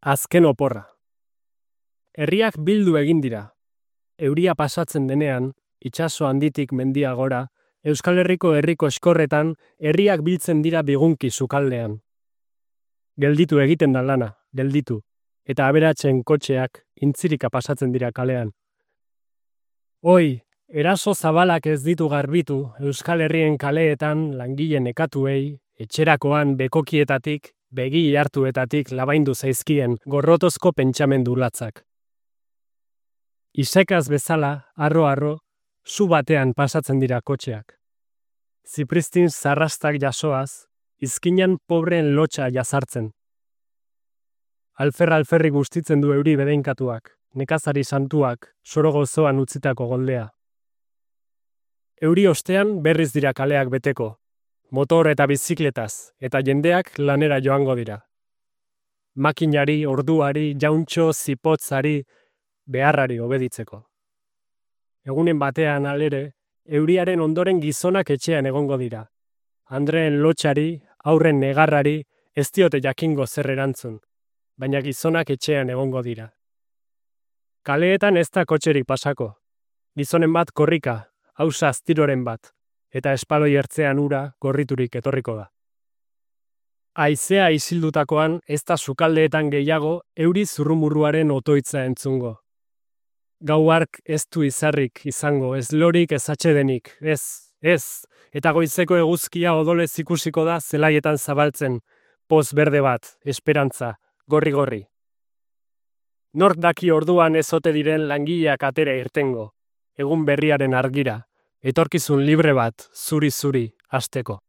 Azken oporra. Herriak bildu egin dira. Euria pasatzen denean, itsaso handitik mendia gora, Euskal Herriko herriko eskorretan herriak biltzen dira bigunki sukaldean. Gelditu egiten da lana, gelditu, eta aberatsen kotxeak intzirika pasatzen dira kalean. Oi, eraso zabalak ez ditu garbitu Euskal Herrien kaleetan langile nekatuei, etxerakoan bekokietatik, begi hartuetatik labaindu zaizkien gorrotozko pentsamendu latzak. Isekaz bezala, arro-arro, zu batean pasatzen dira kotxeak. Zipristin zarrastak jasoaz, izkinan pobreen lotxa jazartzen. Alferri gustitzen du euri bedeinkatuak, nekazari santuak, soro gozoan utzitako goldea. Euri ostean berriz dira kaleak beteko, motor eta bizikletaz, eta jendeak lanera joango dira. Makinari, orduari, jauntxo, zipotzari, beharrari obeditzeko. Egunen batean alere, euriaren ondoren gizonak etxean egongo dira. Andreen lotxari, aurren negarrari, ez diote jakingo zer erantzun, baina gizonak etxean egongo dira. Kaleetan ez da kotxerik pasako. Gizonen bat korrika, hausa aztiroren bat, eta espaloi ertzean ura gorriturik etorriko da. Haizea isildutakoan ez da sukaldeetan gehiago euri zurrumurruaren otoitza entzungo. Gau hark ez du izarrik izango, ez lorik ez atsedenik, ez, eta goizeko eguzkia odolez ikusiko da zelaietan zabaltzen, poz berde bat, esperantza, gorri-gorri. Nork daki orduan ez ote diren langileak atera irtengo, egun berriaren argira, etorkizun libre bat, zuri-zuri, hasteko.